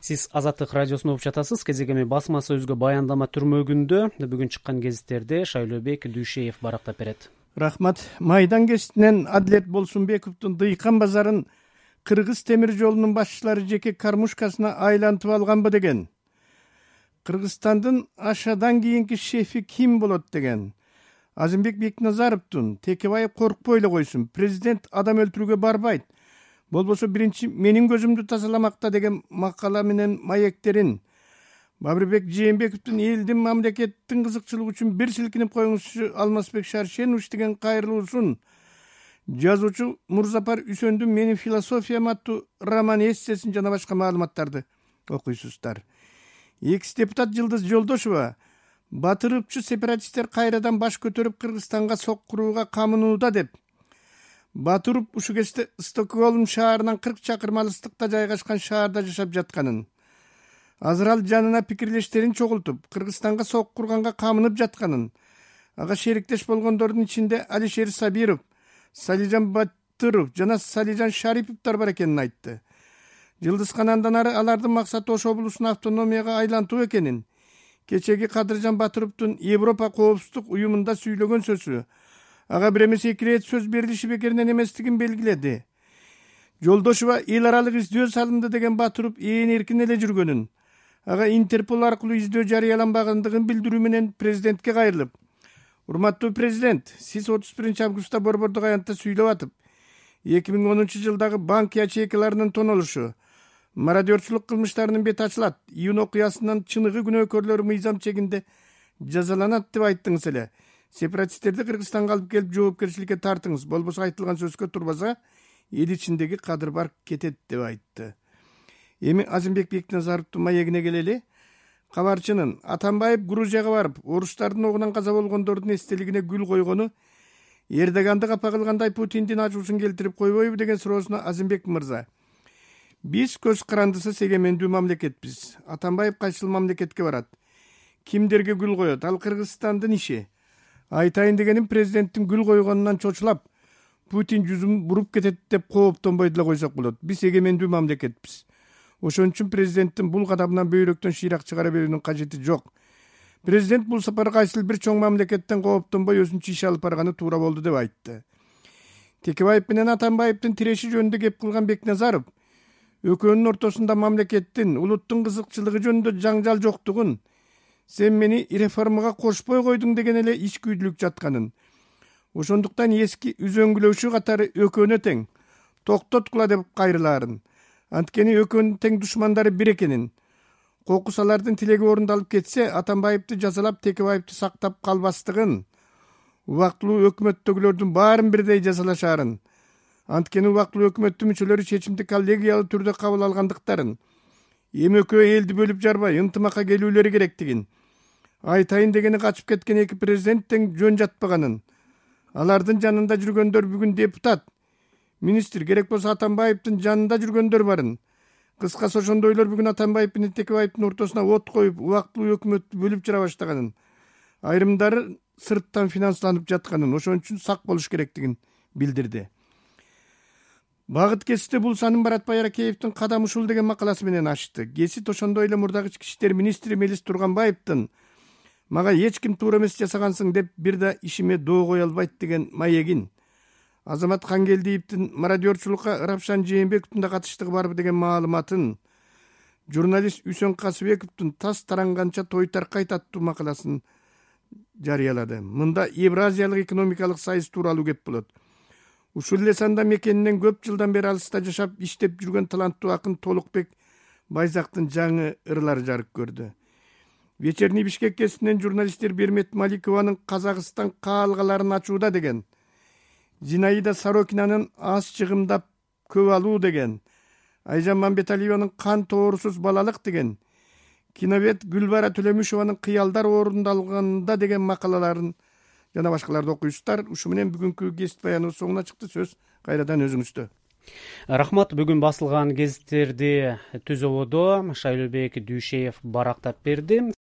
Сиз Азаттык радиосуна угуп жатасыз. Кезегеми басма сөзгө баяндама түрмөгүндө бүгүн чыккан гезиттерди Шайлообек Дүйшеев барактап берет. Рахмат. Майдан гезитинен Адилет Болсунбековдун Дыйкан базарын Кыргыз темир жолунун башчылары жеке кармушкасына айлантып алганбы деген. Кыргызстандын ашадан кийинки шефи ким болот деген. Азимбек Бекназаровдун Текебаев коркпой эле койсун. Президент адам өлтүрүүгө барбайт. Болбосо биринчи менин көзүмдү тазаламакта деген макала менен маектерин. Бабырбек Жээнбековдун элдин мамлекеттин кызыкчылыгы үчүн бир силкинип коюңузчу Алмазбек Шаршенович деген кайрылуусун. Жазуучу Мурзапар Үсөндүн Менин философиям аттуу роман эссесин жана башка маалыматтарды окуйсуздар. Экс депутат Жылдыз Жолдошова батырыпчы сепаратисттер кайрадан баш көтөрүп Кыргызстанга сок курууга камынууда деп. Батырып ушу кезде Стокгольм шаарынан 40 чакырым алыстыкта жайгашкан шаарда жашап жатканын. Азыр ал жанына пикирлештерин чогултуп, Кыргызстанга сок курганга камынып жатканын. Ага шериктеш болгондордун ичинде Алишер Сабиров, Салижан Батыров жана Салижан Шариповдор бар экенин айтты. Жылдыз канандан ары алардын максаты Ош облусун автономияга айлантуу экенин, кечеги Кадыржан Батыровдун Европа коопсуздук уюмунда сүйлөгөн сөзү ага бир эмес эки ирет сөз берилиши бекеринен эместигин белгиледи. Жолдошова эл аралык издөө салынды деген Батыров ээн эркин эле жүргөнүн, ага Интерпол аркылуу издөө жарыяланбагандыгын билдирүү менен президентке кайрылып: "Урматтуу президент, сиз 31 августта Борбордук аянтта сүйлөп атып, 2010 жылдагы банк ячейкаларынын тонолушу, мародерчулук кылмыштарынын бети ачылат, июнь окуясынан чыныгы күнөөкөрлөр мыйзам чегинде жазаланат деп айттыңыз эле. Сепаратисттерди Кыргызстанга алып келип жоопкерчиликке тартыңыз, болбосо айтылган сөзгө турбаса, эл ичиндеги кадыр бар кетет" деп айтты. Эми Азимбек Бекназаровдун маегине келели. Кабарчынын Атамбаев Грузияга барып, орустардын огунан каза болгондордун эстелигине гүл койгону Эрдоганды капа кылгандай Путиндин ачуусун келтирип койбойбу деген суроосуна Азимбек мырза: "Биз көз карандысыз эгемендүү мамлекетпиз. Атамбаев кайсыл мамлекетке барат? Кимдерге гүл коет? Ал Кыргызстандын иши. Айтайын дегеним, президенттин гүл койгонунан чочулап, Путин жүзүн буруп кетет деп кооптонбой деле койсок болот. Биз эгемендүү мамлекетпиз. Ошон үчүн президенттин бул кадамынан бөйрөктөн шыйрак чыгара берүүнүн кажети жок. Президент бул сапар кайсыл бир чоң мамлекеттен кооптонбой өзүнчө иш алып барганы туура болду" деп айтты. Текебаев менен Атамбаевдин тиреши жөнүндө кеп кылган Бекназаров экөөнүн ортосунда мамлекеттин, улуттун кызыкчылыгы жөнүндө жаңжал жоктугун, "Сен мени реформага кошпой койдуң" деген эле ичкүйдүлүк жатканын, ошондуктан эски үзөңгүлөшүү катары экөөнө тең, токтоткула деп кайрылаарын, анткени экөөнүн тең душмандары бир экенин, кокус алардын тилеги орундалып кетсе, Атамбаевди жазалап Текебаевди сактап калбастыгын, убактылуу өкмөттөгүлөрдүн баарын бирдей жазалашаарын, анткени убактылуу өкмөттүн мүчөлөрү чечимди коллегиялуу түрдө кабыл алгандыктарын, эми экөө элди бөлүп жарбай ынтымакка келүүлөрү керектигин, айтайын дегени качып кеткен эки президент тең жөн жатпаганын, алардын жанында жүргөндөр бүгүн депутат, министр, керек болсо Атамбаевдин жанында жүргөндөр барын. Кыскасы ошондойлор бүгүн Атамбаев менен Текебаевдин ортосуна от коюп, убактылуу өкмөттү бөлүп жара баштаганын, айрымдары сырттан финансланып жатканын, ошон үчүн сак болуш керектигин билдирди. Багыт кесипте бул санын Баратбай Аракеевдин "Кадам ушул" деген макаласы менен ачты. Гесит ошондой эле мурдагы ички иштер министри Мелис Турганбаевдин "Мага эч ким туура эмес жасагансың деп бир да ишиме доо кое албайт" деген маегин, Азамат Хангелдиевдин мародерчулукка Рапшан Жээнбековдун да катыштыгы барбы деген маалыматын, журналист Үсөн Касыбековдун "Тас таранганча той таркайт" аттуу макаласын жарыялады. Мында Евразиялык экономикалык сайыс тууралуу кеп болот. Ушул эле санда мекенинен көп жылдан бери алыста жашап иштеп жүргөн таланттуу акын Толукбек Байзактын жаңы ырлары жарык көрдү. Вечерний Бишкек гезитинен журналисттер Бермет Маликованын "Казакстан каалгаларын ачууда" деген, Зинаида Сорокинанын "Аз чыгымдап көп алуу" деген, Айжан Мамбеталиеванын "Кан тоорусуз балалык" деген, киновед Гүлбара Төлөмүшованын "Кыялдар орундалганда" деген макалаларын жана башкаларды окуйсуздар. Ушу менен бүгүнкү гезит баяныбыз соңуна чыкты. Сөз кайрадан өзүңүздө. Рахмат. Бүгүн басылган гезиттерди түзөбөдө Шайлообек Дүйшеев барактап берди.